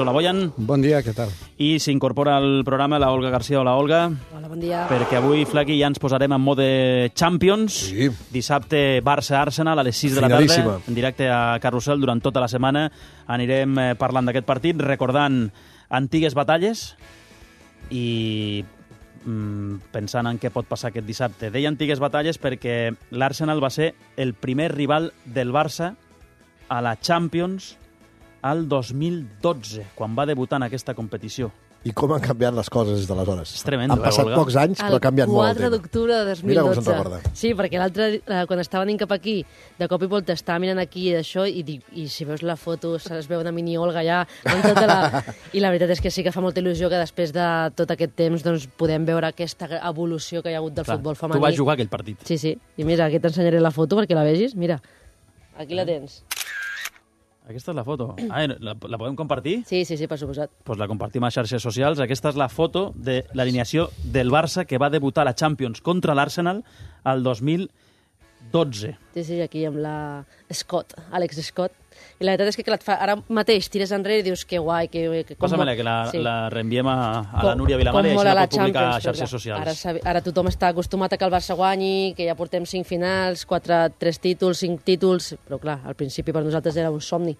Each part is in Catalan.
Hola, Boyan. Bon dia, què tal? I s'incorpora al programa la Olga García. Hola, Olga. Hola, bon dia. Perquè avui, Flaqui, ja ens posarem en mode Champions. Sí. Dissabte, Barça-Arsenal, a les 6 de la tarda, en directe a Carrusel durant tota la setmana. Anirem parlant d'aquest partit, recordant antigues batalles i pensant en què pot passar aquest dissabte. Deia antigues batalles perquè l'Arsenal va ser el primer rival del Barça a la Champions al 2012, quan va debutar en aquesta competició. I com han canviat les coses des d'aleshores. És tremendo, Han passat Olga? pocs anys, però ha canviat molt el 4 d'octubre de 2012. Mira com se'n recorda. Sí, perquè l'altre, quan estava venint cap aquí, de cop i volta estava mirant aquí i d'això, i dic, i si veus la foto, es veu una mini Olga ja, amb tota la... I la veritat és que sí que fa molta il·lusió que després de tot aquest temps doncs, podem veure aquesta evolució que hi ha hagut del futbol femení. Tu vas jugar aquell partit. Sí, sí. I mira, aquí t'ensenyaré la foto perquè la vegis. Mira, aquí la tens. Aquesta és la foto. La podem compartir? Sí, per suposat. Pues la compartim a xarxes socials. Aquesta és la foto de l'alineació del Barça que va debutar a la Champions contra l'Arsenal al 2012. Sí, aquí amb la Scott, Alex Scott. I la veritat és que clar, ara mateix tires enrere i dius que guai, que Passa-me-la, que la reenviem a la Núria Vilamar i així la pot publicar a xarxes socials. Ara tothom està acostumat a que el Barça guanyi, que ja portem 5 finals, 3 títols, 5 títols, però clar, al principi per nosaltres era un somni.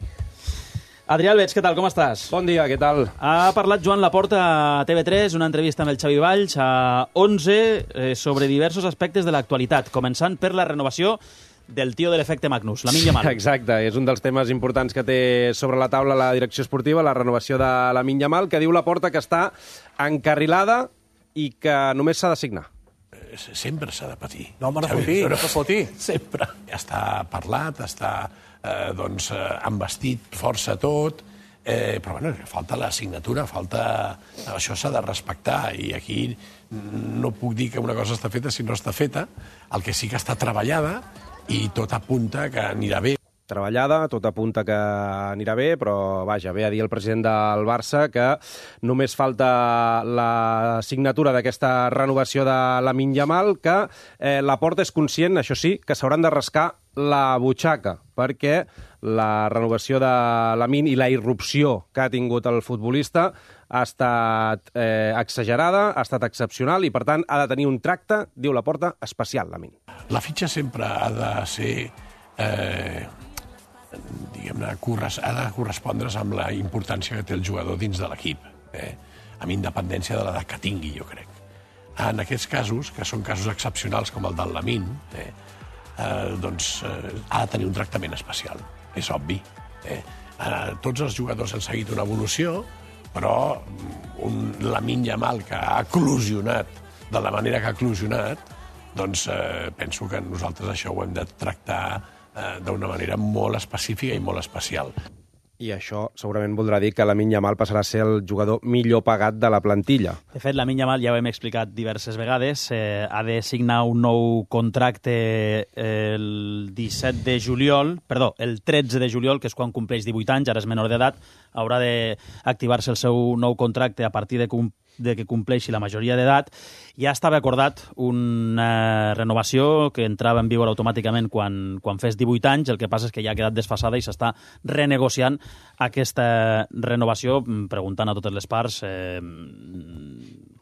Adrià Alves, què tal, com estàs? Bon dia, què tal? Ha parlat Joan Laporta a TV3, una entrevista amb el Xavi Valls a 11 sobre diversos aspectes de l'actualitat, començant per la renovació del tio de l'efecte Magnus, Lamine Yamal. Exacte, és un dels temes importants que té sobre la taula la direcció esportiva, la renovació de Lamine Yamal, que diu Laporta que està encarrilada i que només s'ha de signar. Sempre s'ha de patir. No, home, no fotir. Sempre. Està parlat, està envestit força tot, però bueno, falta la signatura, això s'ha de respectar, i aquí no puc dir que una cosa està feta si no està feta. El que sí que està treballada i tot apunta que anirà bé. Treballada, tot apunta que anirà bé, però vaja, ve a dir el president del Barça que només falta la signatura d'aquesta renovació de Lamine Yamal, que Laporta és conscient, això sí, que s'hauran de rascar la butxaca, perquè la renovació de Lamine i la irrupció que ha tingut el futbolista ha estat exagerada, ha estat excepcional i, per tant, ha de tenir un tracte, diu Laporta, especial, Lamine. La fitxa sempre ha de ser... diguem-ne, ha de correspondre's amb la importància que té el jugador dins de l'equip, amb independència de l'edat que tingui, jo crec. En aquests casos, que són casos excepcionals com el del Lamine, doncs ha de tenir un tractament especial, és obvi. Tots els jugadors han seguit una evolució, però un Lamine Yamal que ha eclosionat de la manera que ha eclosionat, doncs penso que nosaltres això ho hem de tractar d'una manera molt específica i molt especial. I això segurament voldrà dir que Lamine Yamal passarà a ser el jugador millor pagat de la plantilla. De fet, Lamine Yamal, ja ho hem explicat diverses vegades, ha de signar un nou contracte el 13 de juliol, que és quan compleix 18 anys, ara és menor d'edat, haurà d'activar-se el seu nou contracte a partir de que compleixi la majoria d'edat. Ja estava acordat una renovació que entrava en vigor automàticament quan fes 18 anys, el que passa és que ja ha quedat desfasada i s'està renegociant aquesta renovació, preguntant a totes les parts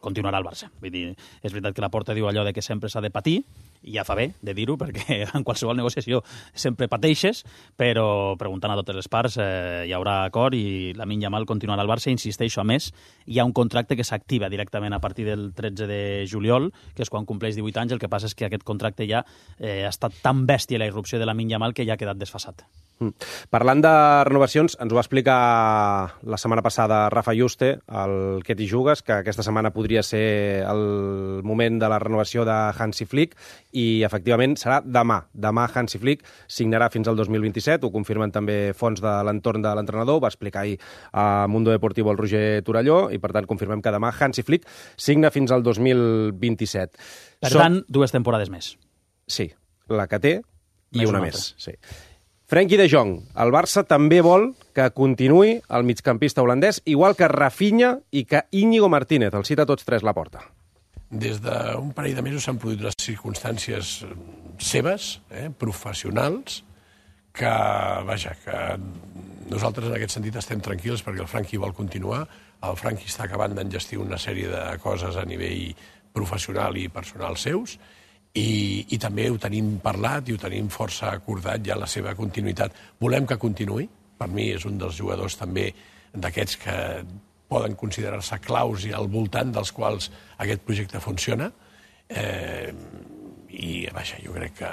continuarà al Barça. Vull dir, és veritat que Laporta diu allò de que sempre s'ha de patir, i ja fa bé de dir-ho, perquè en qualsevol negociació sempre pateixes, però preguntant a totes les parts hi haurà acord i Lamine Yamal continuarà al Barça. Insisteixo, a més, hi ha un contracte que s'activa directament a partir del 13 de juliol, que és quan compleix 18 anys. El que passa és que aquest contracte ja ha estat tan bèstia la irrupció de Lamine Yamal que ja ha quedat desfasat. Parlant de renovacions, ens ho va explicar la setmana passada Rafa Juste, el Que t'hi jugues, que aquesta setmana podria ser el moment de la renovació de Hansi Flick, i efectivament serà demà. Demà Hansi Flick signarà fins al 2027, ho confirmen també fonts de l'entorn de l'entrenador, ho va explicar ahir a Mundo Deportivo el Roger Torelló, i per tant confirmem que demà Hansi Flick signa fins al 2027. Per tant, 2 temporades més. Sí, la que té i una més. Sí. Frenkie de Jong, el Barça també vol que continuï el migcampista holandès, igual que Rafinha i que Íñigo Martínez, el cita tots tres Laporta. Des d'un parell de mesos s'han produït les circumstàncies seves, professionals, que nosaltres en aquest sentit estem tranquils perquè el Franqui vol continuar, el Franqui està acabant d'engestir una sèrie de coses a nivell professional i personal seus, i també ho tenim parlat i ho tenim força acordat ja la seva continuïtat. Volem que continuï, per mi és un dels jugadors també d'aquests que poden considerar-se claus i al voltant dels quals aquest projecte funciona, i jo crec que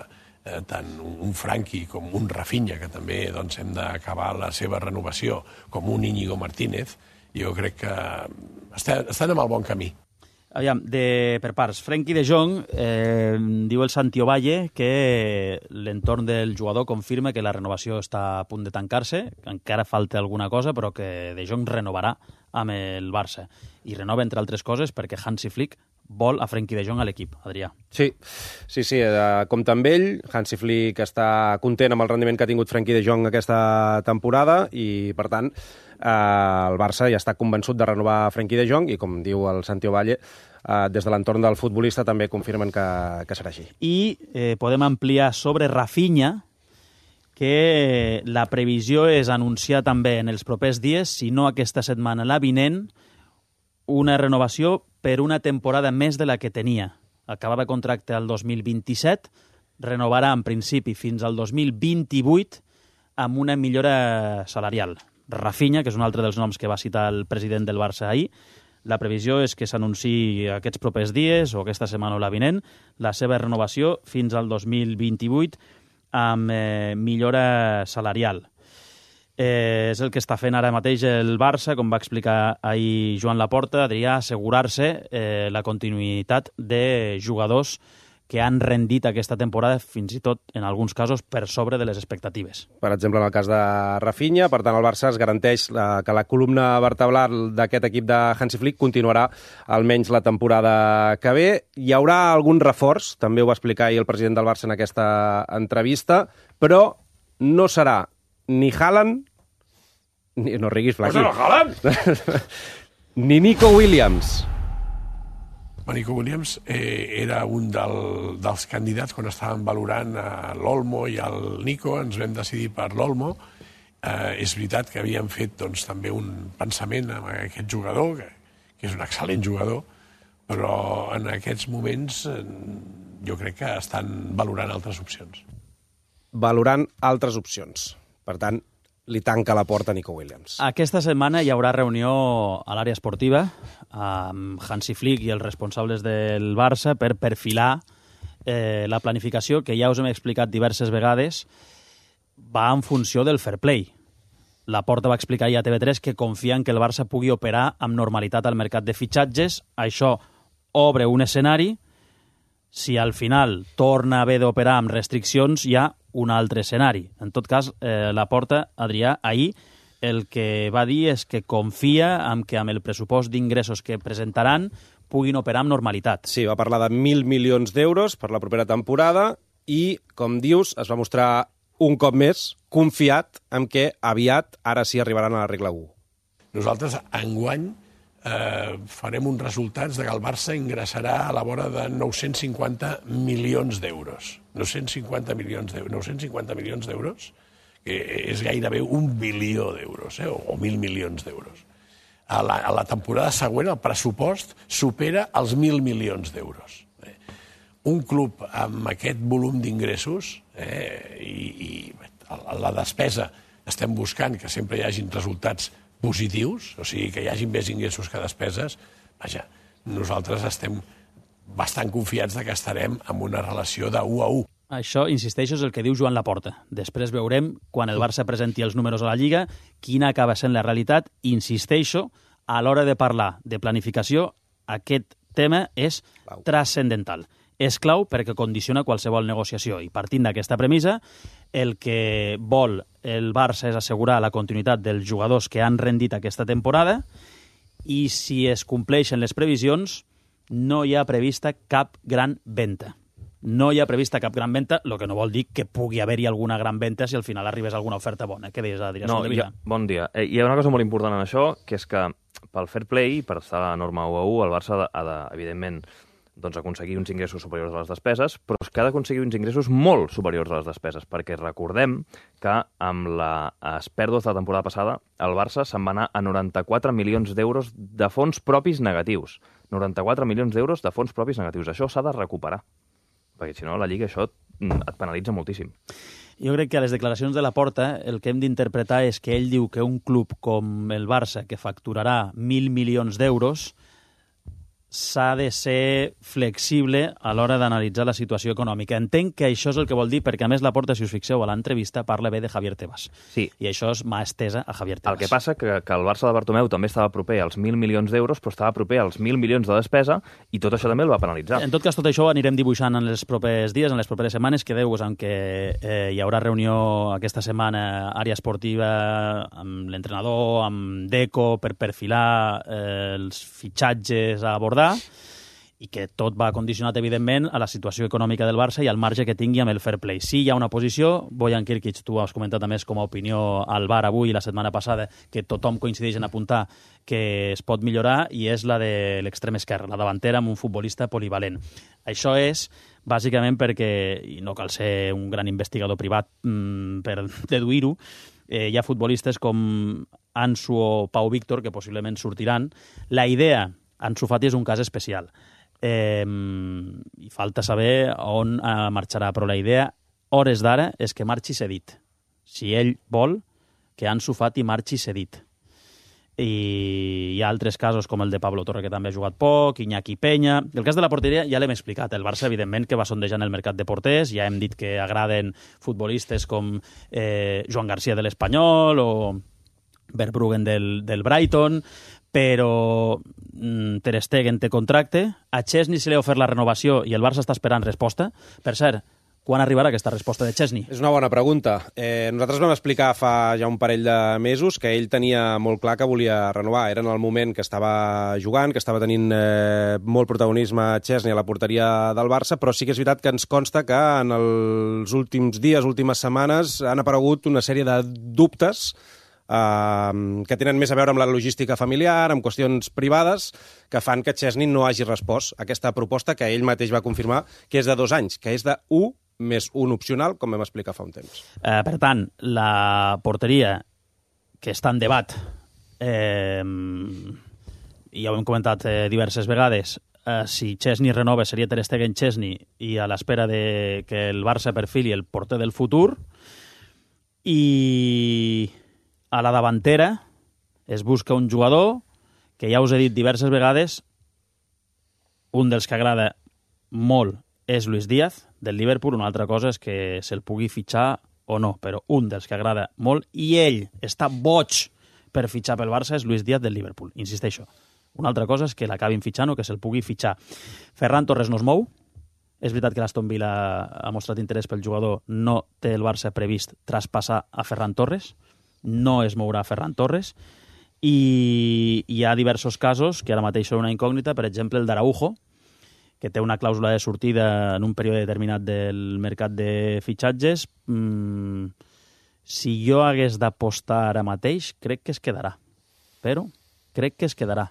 tant un Franqui com un Rafinha, que també hem d'acabar la seva renovació, com un Íñigo Martínez, jo crec que estan en el bon camí. Aviam, per parts. Frenkie de Jong, diu el Santi Ovalle que l'entorn del jugador confirma que la renovació està a punt de tancar-se, que encara falta alguna cosa, però que de Jong renovarà amb el Barça. I renova, entre altres coses, perquè Hansi Flick vol a Frenkie de Jong a l'equip, Adrià. Sí, compta amb ell. Hansi Flick està content amb el rendiment que ha tingut Frenkie de Jong aquesta temporada i, per tant, el Barça ja està convençut de renovar Frenkie de Jong i, com diu el Santi Ovalle, des de l'entorn del futbolista també confirmen que serà així. I podem ampliar sobre Rafinha, que la previsió és anunciar també en els propers dies, si no aquesta setmana, la vinent, una renovació per una temporada més de la que tenia. Acabava contracte al 2027, renovarà en principi fins al 2028 amb una millora salarial. Rafinha, que és un altre dels noms que va citar el president del Barça ahir, la previsió és que s'anunciï aquests propers dies o aquesta setmana o la vinent la seva renovació fins al 2028 amb millora salarial. És el que està fent ara mateix el Barça, com va explicar ahir Joan Laporta, Adrià, assegurar-se la continuïtat de jugadors que han rendit aquesta temporada, fins i tot, en alguns casos, per sobre de les expectatives. Per exemple, en el cas de Rafinha, per tant, el Barça es garanteix que la columna vertebral d'aquest equip de Hansi Flick continuarà almenys la temporada que ve. Hi haurà algun reforç, també ho va explicar ahir el president del Barça en aquesta entrevista, però no serà ni Haaland, no riguis, Flaqui, ni Nico Williams. Nico Williams era un dels candidats quan estàvem valorant l'Olmo i el Nico, ens vam decidir per l'Olmo. És veritat que havíem fet també un pensament amb aquest jugador, que és un excel·lent jugador, però en aquests moments jo crec que estan valorant altres opcions. Valorant altres opcions. Per tant, li tanca la porta a Nico Williams. Aquesta setmana hi haurà reunió a l'àrea esportiva amb Hansi Flick i els responsables del Barça per perfilar la planificació, que ja us hem explicat diverses vegades, va en funció del fair play. Laporta va explicar ahir a TV3 que confia en que el Barça pugui operar amb normalitat al mercat de fitxatges. Això obre un escenari. Si al final torna a haver d'operar amb restriccions, hi ha un altre escenari. En tot cas, Laporta, Adrià, ahir el que va dir és que confia en que amb el pressupost d'ingressos que presentaran puguin operar amb normalitat. Sí, va parlar de 1.000 milions d'euros per la propera temporada i, com dius, es va mostrar un cop més confiat en que aviat, ara sí, arribaran a la regla 1. Nosaltres, enguany, farem uns resultats de que el Barça ingressarà a la vora de 950 milions d'euros. 950 milions d'euros, que és gairebé 1 bilió d'euros, o 1.000 milions d'euros. A la temporada següent el pressupost supera els 1.000 milions d'euros. Un club amb aquest volum d'ingressos i la despesa estem buscant que sempre hi hagin resultats positius, o sigui, que hi hagi més ingressos que despeses, nosaltres estem bastant confiats que estarem en una relació de 1 a 1. Això, insisteixo, és el que diu Joan Laporta. Després veurem, quan el Barça presenti els números a la Lliga, quina acaba sent la realitat. Insisteixo, a l'hora de parlar de planificació, aquest tema és transcendental. És clau perquè condiciona qualsevol negociació. I partint d'aquesta premissa, el que vol el Barça és assegurar la continuïtat dels jugadors que han rendit aquesta temporada i si es compleixen les previsions no hi ha prevista cap gran venda. No hi ha prevista cap gran venda, el que no vol dir que pugui haver-hi alguna gran venda si al final arribés alguna oferta bona. Què deies, Adrià? No, bon dia. Hi ha una cosa molt important en això, que és que pel fair play, per estar a la norma 1 a 1, el Barça ha de, evidentment, aconseguir uns ingressos superiors a les despeses, però és que ha d'aconseguir uns ingressos molt superiors a les despeses, perquè recordem que amb les pèrdues de la temporada passada el Barça se'n va anar a 94 milions d'euros de fons propis negatius. 94 milions d'euros de fons propis negatius. Això s'ha de recuperar, perquè si no la Lliga això et penalitza moltíssim. Jo crec que a les declaracions de Laporta el que hem d'interpretar és que ell diu que un club com el Barça, que facturarà 1.000 milions d'euros, s'ha de ser flexible a l'hora d'analitzar la situació econòmica. Entenc que això és el que vol dir, perquè a més Laporta, si us fixeu, a l'entrevista parla bé de Javier Tebas. Sí. I això és mà estesa a Javier Tebas. El que passa que el Barça de Bartomeu també estava proper als 1.000 milions d'euros, però estava proper als 1.000 milions de despesa, i tot això també el va penalitzar. En tot cas, tot això ho anirem dibuixant en els propers dies, en les properes setmanes. Quedeu-vos amb que hi haurà reunió aquesta setmana, àrea esportiva, amb l'entrenador, amb Deco, per perfilar els fitxatges a abordar, i que tot va condicionat, evidentment, a la situació econòmica del Barça i al marge que tingui amb el fair play. Sí, hi ha una posició, Bojan Kirkic, tu has comentat a més com a opinió al bar avui i la setmana passada, que tothom coincideix en apuntar que es pot millorar, i és la de l'extrem esquerre, la davantera amb un futbolista polivalent. Això és bàsicament perquè, i no cal ser un gran investigador privat per deduir-ho, hi ha futbolistes com Ansu o Pau Víctor, que possiblement sortiran. La idea, Ansu Fati és un cas especial. I falta saber on marxarà, però la idea, hores d'ara, és que marxi cedit. Si ell vol, que Ansu Fati marxi cedit. I hi ha altres casos com el de Pablo Torre, que també ha jugat poc, Iñaki Peña. El cas de la porteria ja l'hem explicat. El Barça, evidentment, que va sondejant el mercat de porters. Ja hem dit que agraden futbolistes com Joan García de l'Espanyol o Verbruggen del Brighton, però Ter Stegen té contracte, a Chesney se li ha ofert la renovació i el Barça està esperant resposta. Per cert, quan arribarà aquesta resposta de Chesney? És una bona pregunta. Nosaltres vam explicar fa ja un parell de mesos que ell tenia molt clar que volia renovar. Era en el moment que estava jugant, que estava tenint molt protagonisme Chesney a la porteria del Barça, però sí que és veritat que ens consta que en els últims dies, últimes setmanes, han aparegut una sèrie de dubtes que tenen més a veure amb la logística familiar, amb qüestions privades, que fan que Chesney no hagi respost a aquesta proposta que ell mateix va confirmar que és de 2 anys, que és de 1 més 1 opcional, com vam explicar fa un temps. Per tant, la porteria, que està en debat, i ja ho hem comentat diverses vegades, si Chesney renova seria Ter Stegen-Chesney, i a l'espera de que el Barça perfili el porter del futur, i a la davantera es busca un jugador que ja us he dit diverses vegades, un dels que agrada molt és Luis Díaz, del Liverpool. Una altra cosa és que se'l pugui fitxar o no, però un dels que agrada molt, i ell està boig per fitxar pel Barça, és Luis Díaz del Liverpool. Insisteixo. Una altra cosa és que l'acabin fitxant o que se'l pugui fitxar. Ferran Torres no es mou. És veritat que l'Aston Villa ha mostrat interès pel jugador, no té el Barça previst traspassar a Ferran Torres, no es mourà Ferran Torres, i hi ha diversos casos que ara mateix són una incògnita, per exemple el d'Araujo, que té una clàusula de sortida en un període determinat del mercat de fitxatges. Si jo hagués d'apostar ara mateix, crec que es quedarà. Però crec que es quedarà.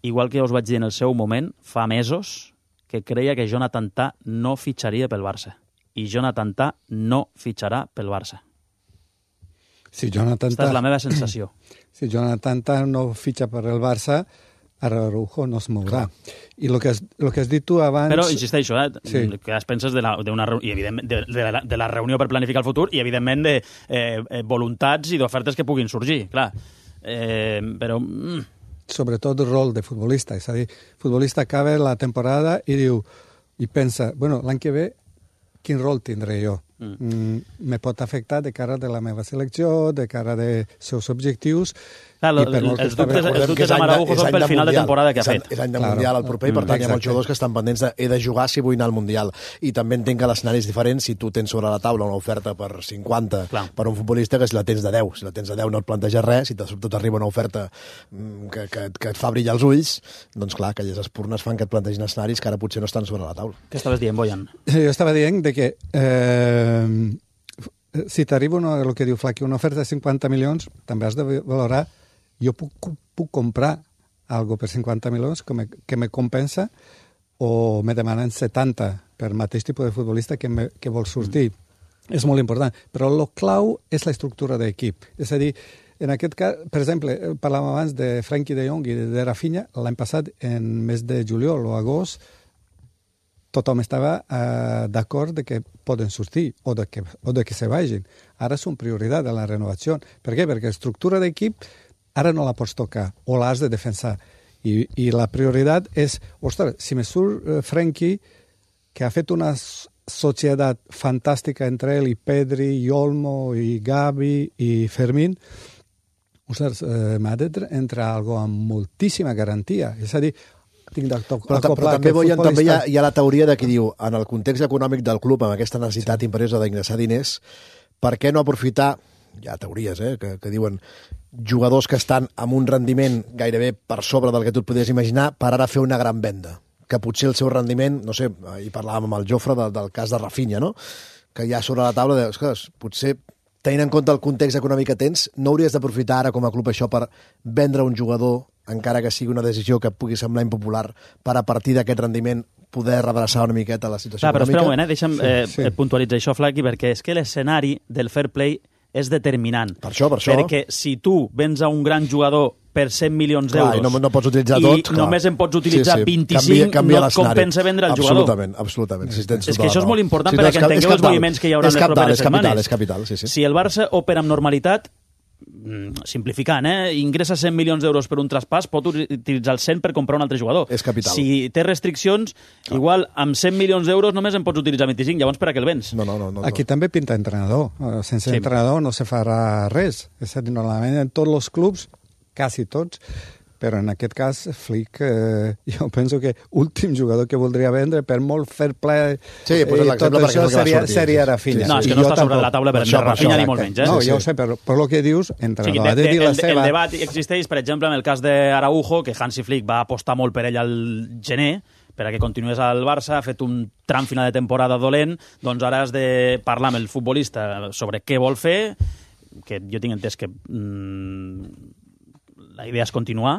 Igual que ja us vaig dir en el seu moment, fa mesos, que creia que Jonathan Tah no fitxaria pel Barça. I Jonathan Tah no fitxarà pel Barça. Si Jonathan Esta és la meva sensació. Si Jonathan Tah no fitxa per el Barça, Araujo no es mourà. I el que has dit tu abans... Però, insisteixo, sí, que es penses de la reunió per planificar el futur i, evidentment, de voluntats i d'ofertes que puguin sorgir, clar. Però... Sobretot el rol de futbolista. És a dir, futbolista acaba la temporada i diu, i pensa, bueno, l'any que ve, quin rol tindré jo? Me pot afectar de cara de la meva selecció, de cara de seus objectius. Clar, els dubtes amb Araujo són pel final de temporada que ha fet. És any de Mundial al proper, i per tant hi ha molts jugadors que estan pendents de he de jugar si vull anar al Mundial. I també entenc que l'escenari és diferent si tu tens sobre la taula una oferta per 50 per un futbolista que si la tens de 10. Si la tens de 10 no et planteja res, si tot arriba una oferta que et fa brillar els ulls, doncs clar, aquelles espurnes fan que et plantegin escenaris que ara potser no estan sobre la taula. Què estaves dient, Bojan? Jo estava dient que si t'arriba el que diu Flaqui, una oferta de 50 milions, també has de valorar, jo puc comprar algo per 50 milions que me compensa o me demanen 70 per mateix tipus de futbolista que vol sortir. És molt important. Però el clau és la estructura d'equip. És a dir, en aquest cas, per exemple, parlàvem abans de Frenkie de Jong i de Rafinha, l'any passat, en mes de juliol o agost, tothom estava d'acord de que poden sortir o de que se vagin. Ara són prioritat de la renovació. Per què? Perquè estructura d'equip ara no la pots tocar o l'has de defensar. I la prioritat és, ostres, si me surt Frenkie, que ha fet una societat fantàstica entre ell i Pedri, i Olmo, i Gavi, i Fermín, ostres, m'ha d'entrar algo amb moltíssima garantia. És a dir, tinc d'acoplar... Però també hi ha la teoria de qui diu, en el context econòmic del club, amb aquesta necessitat imperiosa d'ingressar diners, per què no aprofitar, hi ha teories que diuen, jugadors que estan amb un rendiment gairebé per sobre del que tu et podies imaginar, per ara fer una gran venda, que potser el seu rendiment, no sé, hi parlàvem amb el Jofre del cas de Rafinha, no? Que hi ha sobre la taula de, ostres, potser tenint en compte el context econòmic que tens, no hauries d'aprofitar ara com a club això per vendre un jugador, encara que sigui una decisió que pugui semblar impopular, per a partir d'aquest rendiment poder redreçar una miqueta la situació econòmica. Però espera un moment, deixa'm puntualitzar això, Flaqui, perquè és que l'escenari del fair play és determinant. Per això. Perquè si tu vens a un gran jugador per 100 milions d'euros no pots utilitzar tot, i només en pots utilitzar 25, no et compensa vendre el jugador. Absolutament. És que això és molt important perquè entengueu els moviments que hi haurà en les properes setmanes. És capital, sí. Si el Barça opera amb normalitat, simplificant, ingressa 100 milions d'euros per un traspàs, pot utilitzar el 100 per comprar un altre jugador. És capital. Si té restriccions, igual amb 100 milions d'euros només en pots utilitzar 25, llavors per a què el vens? No. Aquí també pinta entrenador. Sense entrenador no se farà res. És a dir, normalment en tots els clubs, quasi tots, però en aquest cas, Flick, jo penso que últim jugador que voldria vendre, per molt fair play, tot això seria Rafinha. No, és que no està sobre la taula per Rafinha ni molt menys. No, ja ho sé, però el que dius, entrenador ha de dir la seva... El debat existeix, per exemple, en el cas d'Araujo, que Hansi Flick va apostar molt per ell al gener, per a que continués al Barça, ha fet un tram final de temporada dolent, doncs ara has de parlar amb el futbolista sobre què vol fer, que jo tinc entès que la idea és continuar,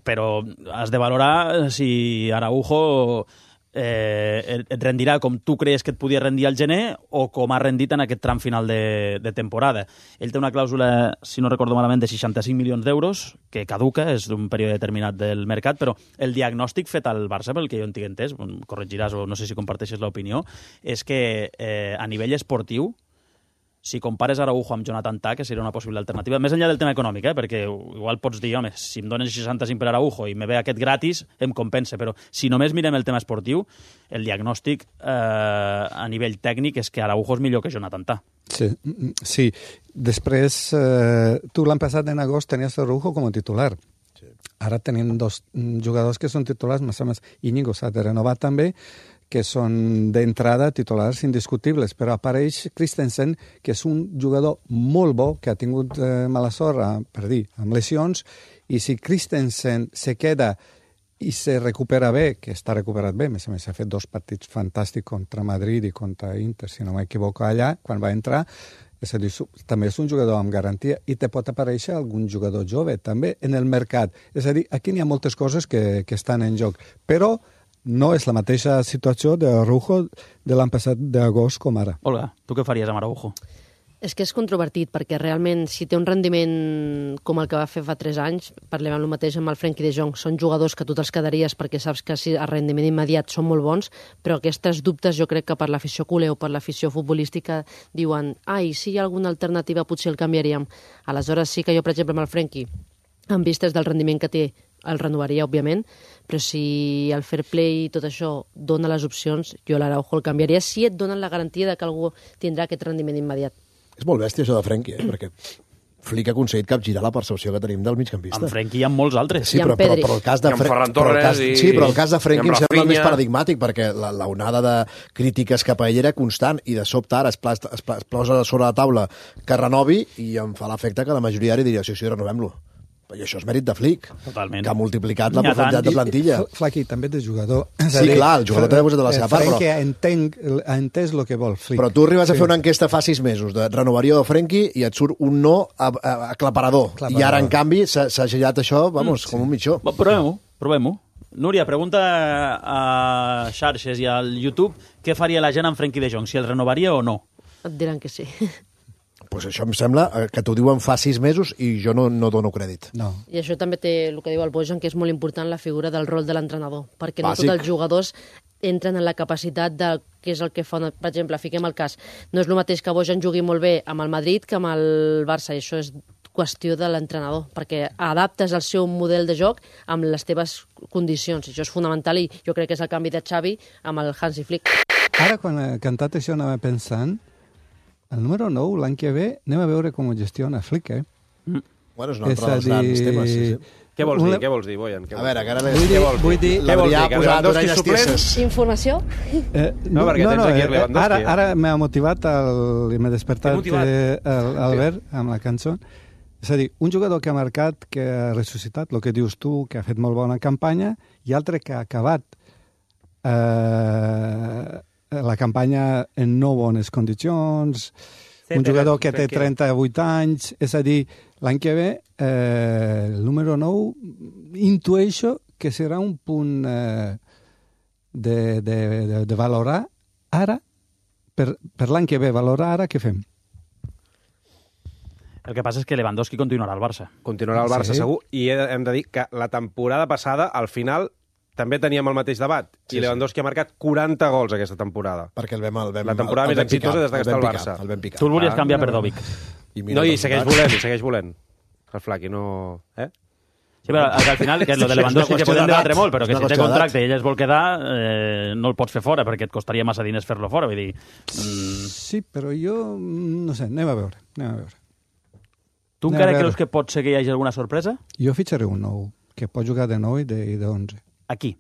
però has de valorar si Araujo et rendirà com tu creus que et podia rendir al gener o com ha rendit en aquest tram final de temporada. Ell té una clàusula, si no recordo malament, de 65 milions d'euros, que caduca, és d'un període determinat del mercat, però el diagnòstic fet al Barça, pel que jo en tinc entès, corregiràs o no sé si comparteixes l'opinió, és que a nivell esportiu, si compares Araujo amb Jonathan Tah, que seria una possible alternativa, més enllà del tema econòmic, perquè igual pots dir, home, si em donen 65 per Araujo i me ve aquest gratis, em compensa, però si només mirem el tema esportiu, el diagnòstic a nivell tècnic és que Araujo és millor que Jonathan Tah. Sí. Després, tu l'any passat en agost tenies Araujo com a titular. Ara tenim dos jugadors que són titulars, més Íñigo s'ha de renovar també, que són d'entrada titulars indiscutibles, però apareix Christensen, que és un jugador molt bo, que ha tingut mala sort, amb lesions, i si Christensen se queda i se recupera bé, que està recuperat bé, més a més ha fet 2 partits fantàstics contra Madrid i contra Inter, si no m'equivoco allà, quan va entrar, és a dir, també és un jugador amb garantia i te pot aparèixer algun jugador jove també en el mercat. És a dir, aquí n'hi ha moltes coses que estan en joc, però no és la mateixa situació d'Araujo de l'any passat d'agost com ara. Olga, tu què faries amb Araujo? És que és controvertit, perquè realment si té un rendiment com el que va fer fa 3 anys, parlem el mateix amb el Frenkie de Jong, són jugadors que tu te'ls quedaries perquè saps que si el rendiment immediat són molt bons, però aquestes dubtes jo crec que per l'afició culer o per l'afició futbolística diuen, si hi ha alguna alternativa potser el canviaríem. Aleshores sí que jo, per exemple, amb el Frenkie, en vistes del rendiment que té, el renovaria, òbviament, però si el fair play i tot això dona les opcions, jo l'Araujo el canviaria si et donen la garantia de que algú tindrà aquest rendiment immediat. És molt bèstia això de Frenkie, perquè Flick ha aconseguit capgirar la percepció que tenim del migcampista. Amb Frenkie hi ha molts altres. Sí, però el cas de però el cas de Frenkie em sembla més paradigmàtic, perquè l'onada de crítiques cap a ell era constant, i de sobte ara es posa sobre la taula que renovi, i em fa l'efecte que la majoria ara diria, sí, renovem-lo. I això és mèrit de Flick, totalment, que ha multiplicat la profunditat de plantilla. Flaqui, també de jugador. Sí, clar, el jugador també ha posat de la seva part. Frenkie ha entès el que vol Flick. Però tu arribes a fer una enquesta fa 6 mesos de renovaria de Frenkie i et surt un no aclaparador. I ara, en canvi, s'ha girat això, com un mitjó. Provem-ho. Núria, pregunta a xarxes i al YouTube què faria la gent amb Frenkie de Jong, si el renovaria o no. Et diran que sí. Pues això em sembla que t'ho diuen fa 6 mesos i jo no dono crèdit. No. I això també té el que diu el Bojan, que és molt important la figura del rol de l'entrenador, perquè no Bàsic. tots els jugadors entren en la capacitat de què és el que fa. Per exemple, fiquem el cas, no és el mateix que Bojan jugui molt bé amb el Madrid que amb el Barça, i això és qüestió de l'entrenador, perquè adaptes el seu model de joc amb les teves condicions. Això és fonamental i jo crec que és el canvi de Xavi amb el Hansi Flick. Ara, quan he cantat això, anava pensant, el número 9, l'any que ve, anem a veure com ho gestiona Flick, eh? Bueno, és un altre dels grans temes, sí. Què vols dir, Bojan? A veure, que ara Vull dir, l'Adrià ha posat orelles tieses. Informació? No, perquè tens aquí Lewandowski. Ara m'ha motivat i m'ha despertat Albert amb la cançó. És a dir, un jugador que ha marcat, que ha ressuscitat, el que dius tu, que ha fet molt bona campanya, i altre que ha acabat la campanya en no bones condicions, un jugador que té 38 anys, és a dir, l'any que ve, el número 9, intueixo que serà un punt de valorar ara, per l'any que ve, valorar ara què fem. El que passa és que Lewandowski continuarà al Barça. Continuarà al Barça, segur, i hem de dir que la temporada passada, al final, també teníem el mateix debat, i Lewandowski ha marcat 40 gols aquesta temporada. Perquè la temporada més exitosa des que està al Barça. Tu el volies canviar per Dovic. No, i segueix volent. El Flaqui, no... Sí, però al final, que és lo de Lewandowski que podem debatre molt, però que si té contracte i ell es vol quedar, no el pots fer fora, perquè et costaria massa diners fer-lo fora. Vull dir... Sí, però jo, no sé, anem a veure. Tu encara creus que pot ser que hi hagi alguna sorpresa? Jo fitxaré un nou, que pot jugar de 9 i de 11. Aquí?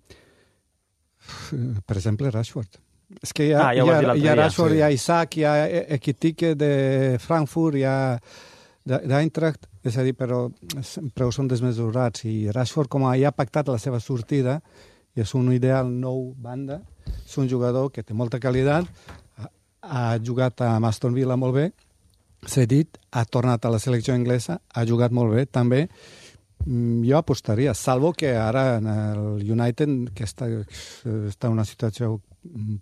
Per exemple, Rashford. És que hi ha Rashford, hi ha Isaac, hi ha Ekitike de Frankfurt, hi ha d'Eintracht, és a dir, però sempre són desmesurats, i Rashford, com ja ha pactat la seva sortida, i és un ideal nou banda, és un jugador que té molta qualitat, ha jugat a Aston Villa molt bé, s'ha dit, ha tornat a la selecció anglesa, ha jugat molt bé, també. Jo apostaria, salvo que ara en el United, que està en una situació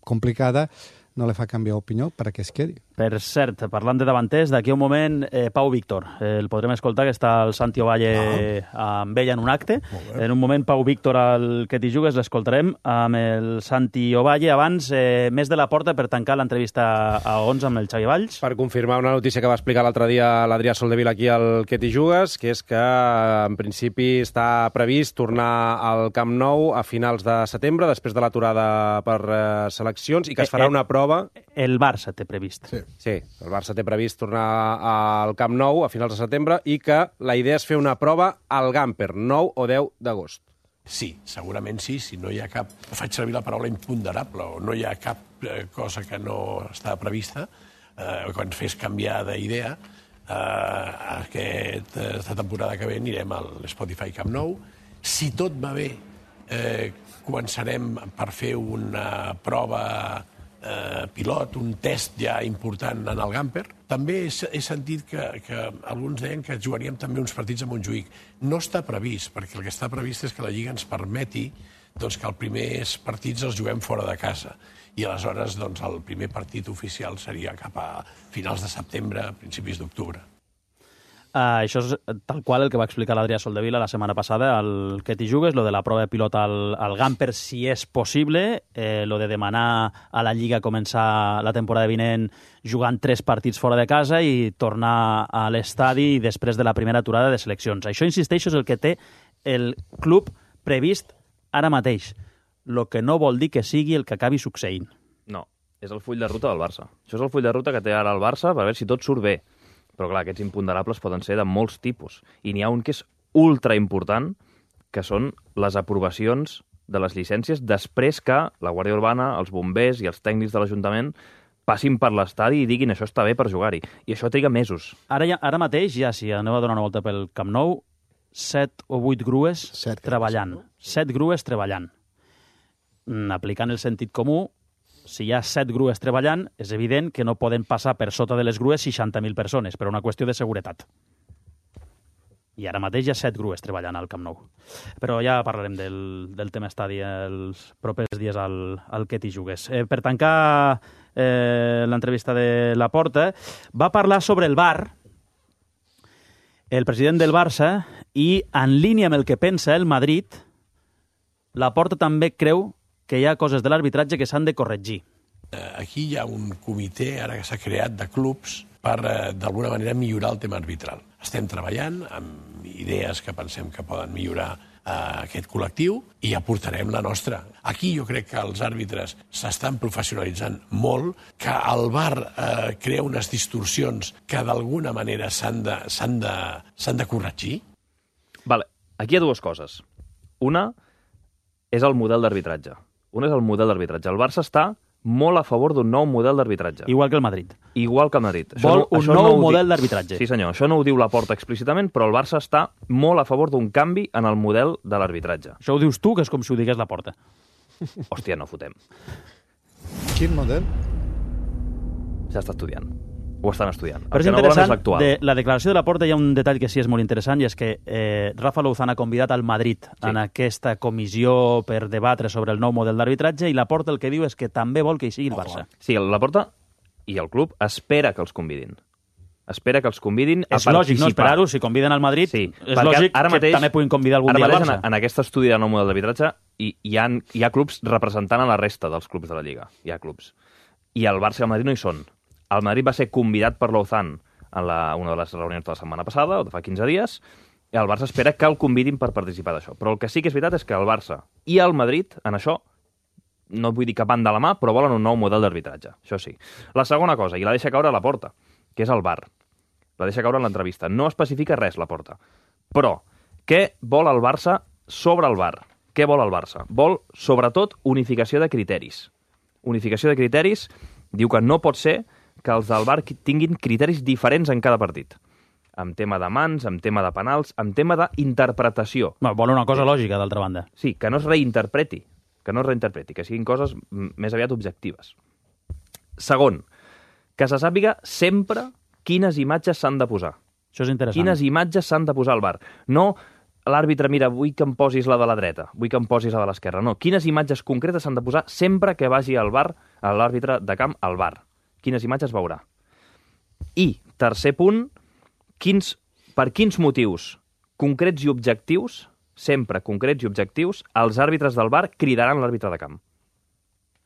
complicada, no li fa canviar opinió perquè es quedi. Per cert, parlant de davanters, d'aquí un moment, Pau Víctor. El podrem escoltar, que està el Santi Ovalle amb ell en un acte. En un moment, Pau Víctor, al que t'hi jugues, l'escoltarem amb el Santi Ovalle. Abans, més de la porta per tancar l'entrevista a 11 amb el Xavi Valls. Per confirmar una notícia que va explicar l'altre dia l'Adrià Soldevila aquí al que t'hi jugues, que és que, en principi, està previst tornar al Camp Nou a finals de setembre, després de l'aturada per seleccions, i que es farà una prova. El Barça té previst. Sí, el Barça té previst tornar al Camp Nou a finals de setembre i que la idea és fer una prova al Gamper, 9 o 10 d'agost. Sí, segurament sí, si no hi ha cap... Faig servir la paraula imponderable, o no hi ha cap cosa que no està prevista, que ens fes canviar d'idea. Aquesta temporada que ve anirem al Spotify Camp Nou. Si tot va bé, començarem per fer una prova pilot, un test ja important en el Gamper. També he sentit que alguns deien que jugaríem també uns partits a Montjuïc. No està previst, perquè el que està previst és que la Lliga ens permeti que els primers partits els juguem fora de casa. I aleshores el primer partit oficial seria cap a finals de setembre, principis d'octubre. Això és tal qual el que va explicar l'Adrià Soldevila la setmana passada, el que t'hi jugues, lo de la prova de pilot al Gamper, si és possible, lo de demanar a la Lliga començar la temporada vinent jugant 3 partits fora de casa i tornar a l'estadi després de la primera aturada de seleccions. Això, insisteixo, és el que té el club previst ara mateix, el que no vol dir que sigui el que acabi succeint. No, és el full de ruta del Barça. Això és el full de ruta que té ara el Barça per veure si tot surt bé. Però, clar, aquests imponderables poden ser de molts tipus. I n'hi ha un que és ultra important, que són les aprovacions de les llicències després que la Guàrdia Urbana, els bombers i els tècnics de l'Ajuntament passin per l'estadi i diguin això està bé per jugar-hi. I això triga mesos. Ara mateix, ja si aneu a donar una volta pel Camp Nou, 7 o 8 grues treballant. 7 grues treballant. Aplicant el sentit comú, si hi ha 7 grues treballant, és evident que no poden passar per sota de les grues 60.000 persones, per una qüestió de seguretat. I ara mateix hi ha 7 grues treballant al Camp Nou. Però ja parlarem del tema estadi els propers dies al que t'hi jugues. Per tancar l'entrevista de Laporta, va parlar sobre el VAR, el president del Barça, i en línia amb el que pensa el Madrid, Laporta també creu que hi ha coses de l'arbitratge que s'han de corregir. Aquí hi ha un comitè, ara que s'ha creat, de clubs per, d'alguna manera, millorar el tema arbitral. Estem treballant amb idees que pensem que poden millorar aquest col·lectiu i aportarem la nostra. Aquí jo crec que els àrbitres s'estan professionalitzant molt, que el VAR crea unes distorsions que d'alguna manera s'han de corregir. Vale. Aquí hi ha dues coses. Una és el model d'arbitratge. El Barça està molt a favor d'un nou model d'arbitratge. Igual que el Madrid. Vol un nou model d'arbitratge. Sí, senyor. Això no ho diu Laporta explícitament, però el Barça està molt a favor d'un canvi en el model de l'arbitratge. Això ho dius tu, que és com si ho digués Laporta. Hòstia, no fotem. Quin model? Ja està estudiant. Ho estan estudiant. Però és interessant, de la declaració de Laporta hi ha un detall que sí és molt interessant, i és que Rafa Louzán ha convidat al Madrid en aquesta comissió per debatre sobre el nou model d'arbitratge, i Laporta el que diu és que també vol que hi sigui el Barça. Sí, Laporta i el club espera que els convidin. Espera que els convidin a participar. És lògic, no? Esperar-ho, si conviden al Madrid, sí, és lògic que també puguin convidar algun dia al Barça. En aquest estudi del nou model d'arbitratge hi ha clubs representant a la resta dels clubs de la Lliga. Hi ha clubs. I el Barça i el Madrid no hi són. El Madrid va ser convidat per Louzán en una de les reunions de la setmana passada, o de fa 15 dies, i el Barça espera que el convidin per participar d'això. Però el que sí que és veritat és que el Barça i el Madrid, en això, no vull dir que van de la mà, però volen un nou model d'arbitratge. Això sí. La segona cosa, i la deixa caure a Laporta, que és el VAR. La deixa caure en l'entrevista. No especifica res, Laporta. Però, què vol el Barça sobre el VAR? Què vol el Barça? Vol, sobretot, unificació de criteris. Unificació de criteris diu que no pot ser que els del VAR tinguin criteris diferents en cada partit. Amb tema de mans, amb tema de penals, amb tema d'interpretació. Vol una cosa lògica, d'altra banda. Sí, que no es reinterpreti, que siguin coses més aviat objectives. Segon, que se sàpiga sempre quines imatges s'han de posar. Això és interessant. Quines imatges s'han de posar al VAR. No l'àrbitre, mira, vull que em posis la de la dreta, vull que em posis la de l'esquerra. No, quines imatges concretes s'han de posar sempre que vagi al VAR, a l'àrbitre de camp, al VAR. Quines imatges veurà. I, tercer punt, per quins motius concrets i objectius, sempre concrets i objectius, els àrbitres del VAR cridaran l'àrbitre de camp.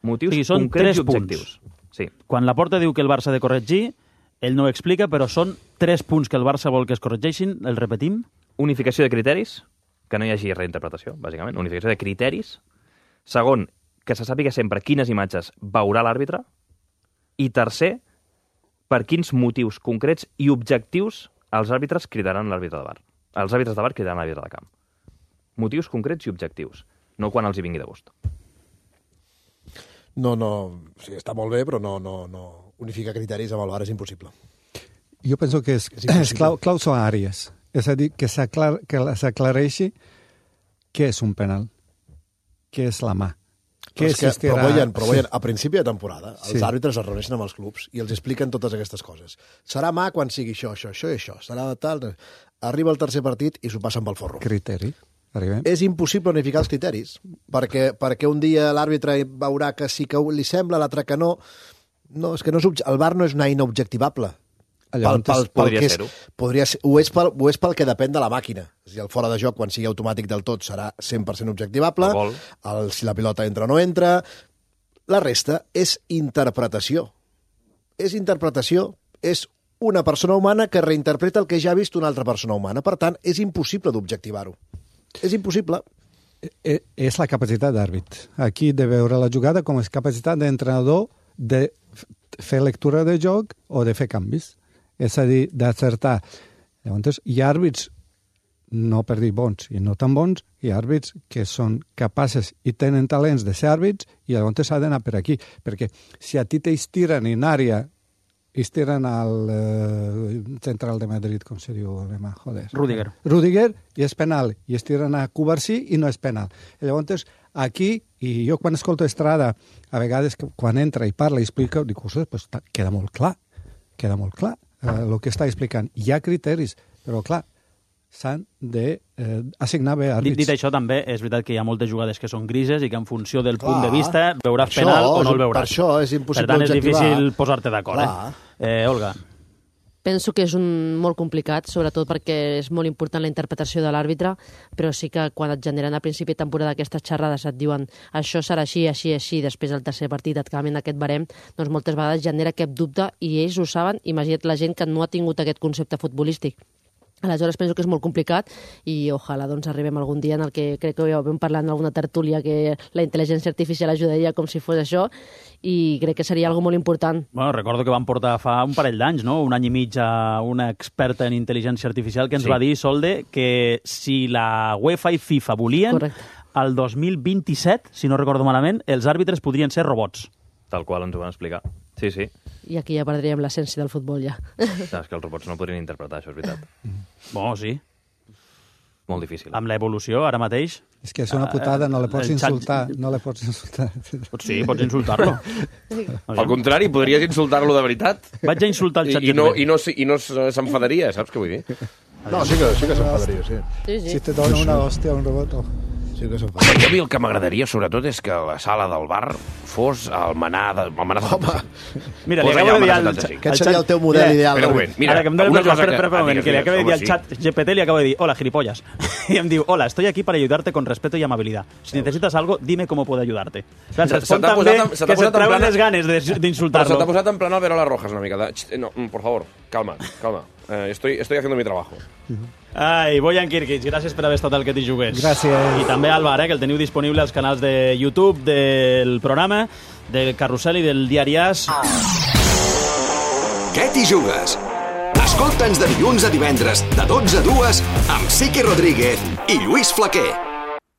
Motius concrets i objectius. Sí. Quan Laporta diu que el Barça ha de corregir, ell no ho explica, però són 3 punts que el Barça vol que es corregeixin, el repetim. Unificació de criteris, que no hi hagi reinterpretació, bàsicament. Unificació de criteris. Segon, que se sàpiga sempre quines imatges veurà l'àrbitre. I tercer, per quins motius concrets i objectius els àrbitres cridaran l'àrbitre de VAR. Els àrbitres de VAR cridaran l'àrbitre de camp. Motius concrets i objectius, no quan els hi vingui de gust. No, sí, està molt bé, però no unificar criteris amb el VAR és impossible. Jo penso que és clau són àrees. És a dir, que s'aclareixi què és un penal, què és la mà. Però Boyan, a principi de temporada, els àrbitres es reuneixen amb els clubs i els expliquen totes aquestes coses. Serà mà quan sigui això i això. Serà tal... Arriba el tercer partit i s'ho passen pel forro. Criteri. Arribem. És impossible unificar els criteris, perquè un dia l'àrbitre veurà que sí que li sembla, l'altre que no. No, és que el VAR no és una eina objectivable. Podria ser-ho. Ho és pel que depèn de la màquina. És a dir, el fora de joc, quan sigui automàtic del tot, serà 100% objectivable. Si la pilota entra o no entra. La resta és interpretació. És una persona humana que reinterpreta el que ja ha vist una altra persona humana. Per tant, és impossible d'objectivar-ho. És impossible. És la capacitat d'àrbit. Aquí de veure la jugada com és capacitat d'entrenador de fer lectura de joc o de fer canvis. És a dir, d'acertar. Llavors, hi ha àrbits, no per dir bons i no tan bons, hi ha àrbits que són capaces i tenen talents de ser àrbits i llavors s'ha d'anar per aquí. Perquè si a ti t'estiren en àrea, estiren al central de Madrid, com se diu alemà, joder. Rüdiger, i és penal. I estiren a Cubarsí i no és penal. I llavors, aquí, i jo quan escolto Estrada, a vegades quan entra i parla i explica, dic, pues, queda molt clar el que està explicant. Hi ha criteris, però clar, s'han d'assignar bé àrbits. Dit això, també és veritat que hi ha moltes jugades que són grises i que en funció del punt de vista veuràs penal o no el veuràs. Per això és impossible objectivar. Per tant, és objectivar. difícil posar-te d'acord. Olga. Penso que és molt complicat, sobretot perquè és molt important la interpretació de l'àrbitre, però sí que quan et generen a principi de temporada aquestes xerrades et diuen això serà així, així, així, després del tercer partit et canvien aquest barem, doncs moltes vegades genera aquest dubte i ells ho saben. Imagina't la gent que no ha tingut aquest concepte futbolístic. Aleshores penso que és molt complicat i ojalà doncs arribem algun dia en el que crec que ja ho vam parlar en alguna tertúlia que la intel·ligència artificial ajudaria com si fos això i crec que seria algo molt important. Bueno, recordo que vam portar fa un parell d'anys, no? Un any i mig a una experta en intel·ligència artificial que ens va dir, Solde, que si la UEFA i FIFA volien, el 2027, si no recordo malament, els àrbitres podrien ser robots. Tal qual ens ho van explicar. Sí, sí. I aquí ja perdríem l'essència del futbol, ja. És que els robots no podrien interpretar, això és veritat. Bueno, sí. Molt difícil. Amb l'evolució, ara mateix... És que és una putada, no le pots insultar. No le pots insultar. Sí, pots insultar-lo. Al contrari, podries insultar-lo de veritat. Vaig a insultar el ChatGPT. I no s'enfadaria, saps què vull dir? No, sí que s'enfadaria, sí. Si te dona una hòstia a un robot... Sí que s'enfadaria. A mi el que m'agradaria, sobretot, és que la sala del bar fos el menà de... Mira, li acabo de dir al... Aquest seria el teu model ideal. Ara que em dones una cosa... Espera un moment, que li acabo de dir al chat GPT, li acabo de dir, hola, gilipollas. Y em diu, hola, estoy aquí para ayudarte con respeto y amabilidad. Si necesitas algo, dime cómo puedo ayudarte. Respon també que se't treuen les ganes d'insultar-lo. Se t'ha posat en plan Albert Rojas una mica. No, por favor, calma. Estoy haciendo mi trabajo. Ai, Bojan Kirkic, gràcies per haver estat al Que t'hi jugués. Gràcies. I també Álvar, que el teniu disponible als canals de YouTube del programa, del Carrusel i del Diari As. Que t'hi jugues? Escolta'ns de dilluns a divendres, de 12 a 2, amb Siqui Rodríguez i Lluís Flaquer.